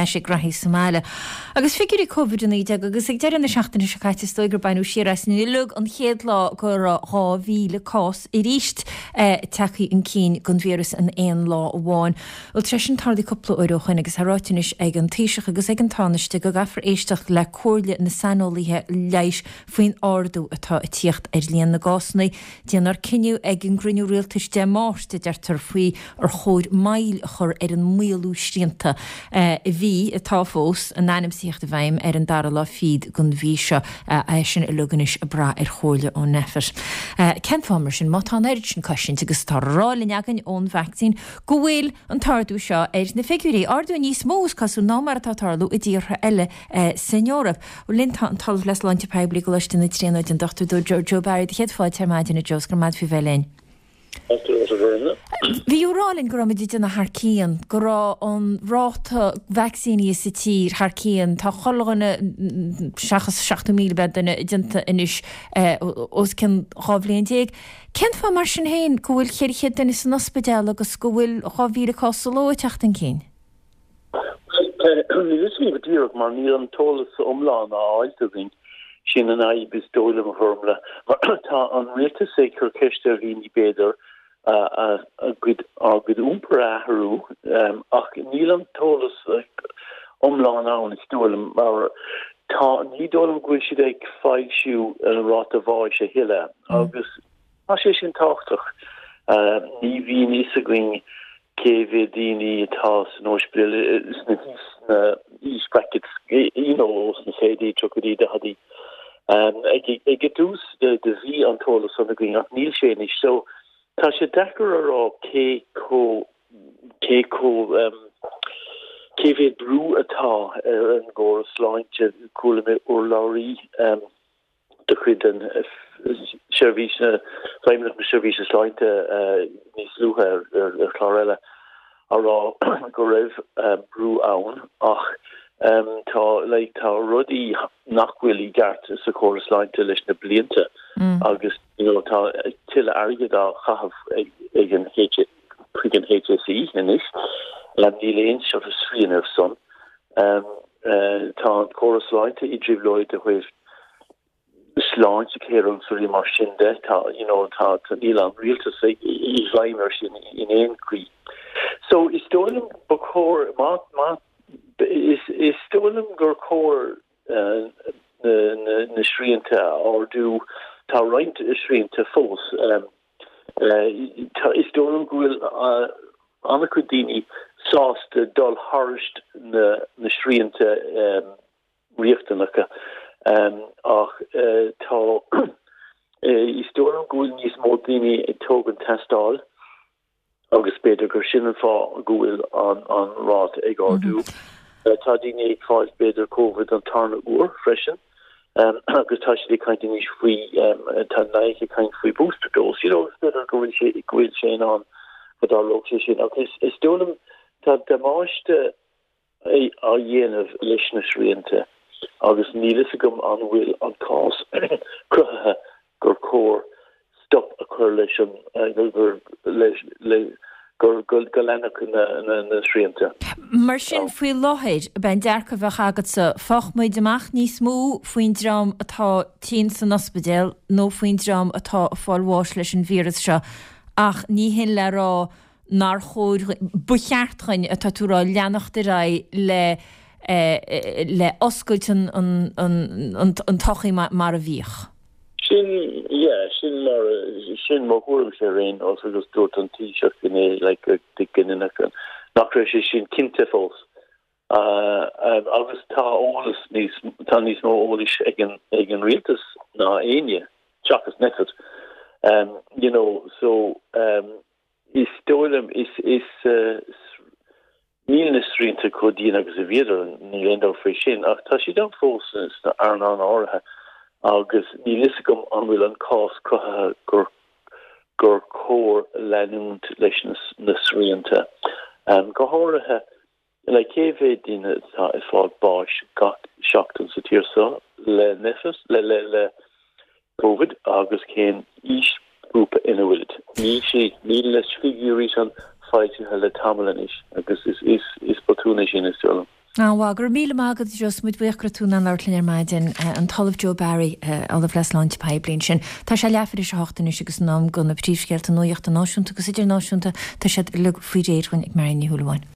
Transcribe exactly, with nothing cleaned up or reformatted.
ais ag reathaí sa mbaile. Agus figiúirí Covid a naoi déag agus ag deireadh na seachtaine seo caite is dóigh gur baineadh siar as uilig an chéad lá go raibh dhá mhíle cás arís tagtha chun cinn den víreas in aon lá amháin. Bhuel tar éis sin tarlaithe cúpla uair ó shin agus tá ráite anois ag an Taoiseach agus ag an Tánaiste go gcaithfear éisteacht le comhairle na saineolaithe leighis faoin ardú atá ag tíocht ar líon na gcásanna. Déanfar cinneadh ag an gcruinniú rialtais Dé Máirt a deirtear faoi ar chóir moill a chur ar an maolú srianta a bhí, atá fós, in ainm is a theacht i bhfeidhm ar an dara lá fichead den mhí seo. É sin uilig anois ag brath ar chomhairle ó Nphet. Cén fáth mar sin, má tá an oiread sin cosaint agus atá á rá linn againn ón vacsaín, go bhfuil an t-ardú seo ar na figiúirí, ardú níos mó is cosúil ná mar atá ag tarlú i dtíortha eile san Eoraip. Linn tá an tOllamh le Sláinte Poiblí i gColáiste na Tríonóide, an Dochtúir Joe, Joe Barry, do chéad fáilte ar maidin a Joe, is go raibh maith agat faoi bheith linn. Bhí tú ag rá linn go raibh muid ag déanamh thar cionn, go raibh an ráta vacsaíní sa tír thar cionn, tá chuile dhuine seachas seachtó míle b'fhéidir duine déanta anois os cionn dhá bhliain déag. Cén fáth mar sin féin go bhfuil ceithre chéad duine san ospidéal agus go bhfuil dhá mhíle cás sa ló ag teacht chun cinn? Níl a fhios agam go díreach mar níl an t-eolas iomlán á fháilt againn. Sin an fhadhb is dóigh liom a Fhormla. Mar tá an rialtas ag cur ceist ar dhaoine b'fhéidir a gcuid a gcuid iompar a athrú ach níl an t-eolas iomlán ann is dóigh liom mar tá ní dóigh liom go bhfuil siad ag foilsiú an ráta bháis a thuilleadh agus tá sé sin tábhachtach. Ní bhíonn fhios againn cé mhéad daoine atá san ospidéal sna sna age brackets you know sna fichidí, tríochaidí, daichidí. Ag ag an dtús de de bhí an t-eolas san againn ach níl sé anois so tá sé deacair a rá cé chomh cé chomh cé mhéad brú atá ar an gcóras sláinte. Chuala mé urlabhraí de chuid an seirbhís na Feidhmeannacht na Seirbhíse Sláinte níos luaithe ar ar chlár eile á rá go raibh brú ann ach tá like tá rudaí nach bhfuil i gceart sa chóras sláinte leis na blianta agus you know tá tuilleadh airgead á chaitheamh ag ag an H chuig an H S E anois níl aon sort of srian ar son. Tá an córas sláinte i dtrioblóid ó thaobh Sláintecare agus rudaí mar sin de tá you know tá níl an rialtas i bhfeidhm ar sin in aon chaoi. So is dóigh liom ba chóir má má is is dóigh liom gur chóir uh, na, na, na srianta a ardú tá roinnt srianta fós um, uh, tá, is dóigh liom go bhfuil uh, an-chuid daoine sásta dul thar na, na srianta um, riachtanacha um, ach uh, tá uh, is dóigh liom go bhfuil níos mó daoine ag tógaint tástáil agus b'fhéidir gur sin an fáth go bhfuil an an ráta ag ardú. Mm -hmm. uh, tá daoine ag fáil b'fhéidir COVID an tarna uair freisin. Um, agus tá siad ag caint anois faoi um, tá naich ag caint faoi booster dose you know, b'fhéidir go bhfuil sé go bhfuil sé an go dtarlódh sé sin agus is dóigh liom tá damáiste á dhéanamh leis na srianta agus níl fhios agam an bhfuil an cás cruthaithe gur chóir stop a chur leis an gur leis le gur go go leanfadh na na na srianta. Mar sin faoi láthair b'in dearcadh a bheadh agatsa fágfaidh muid amach níos mó faoin dream atá tinn san ospidéal nó faoin dream atá ag fáil bháis leis an víreas seo ach ní hin le rá nár chóir ba cheart dúinn atá tú rá leanacht ar aghaidh le le oscailt an an an an an tsochaí mar a bhíodh. Sin yeah, sin mar sin mo thuairim sé réin os agus dúirt an Taoiseach inné like de ginach nach raibh sé sin cinnte fós. Uh, um, agus tá eolas níos tá níos mó eolais ag an ag an rialtas ná éinne seachas Nphet. Um, you know, so um, is dóigh liom is is uh, níl na srianta chomh dian agus a bhíodar níl aon dabht faoi sin ach tá siad ann fós sna earnálacha áirithe agus níl fhios agam an bhfuil an cás cruthaithe gur gur chóir leanúint leis na, na srianta. Um, go háirithe le cé mhéad duine atá ag fáil báis gach seachtain sa tír seo le Nphet le le le COVID agus cén aoisghrúpa ina bhfuil. Níl sé níl na figiúirí sin foilsithe le tamall anois agus is is is botún é sin is dóigh liom. An-mhaith, go raibh míle maith agat Joe, muid buíoch go raibh tú in ann labhairt linn ar maidin. An tOllamh Joe Barry, Ollamh le Sláinte Poiblí ansin. Tá sé leathuair tar éis a hocht anois agus in am do na príomhscéalta nuachta náisiúnta agus idirnáisiúnta, tá siad uilig faoi réir dhúinn ag Marion Ní Shúilleabháin.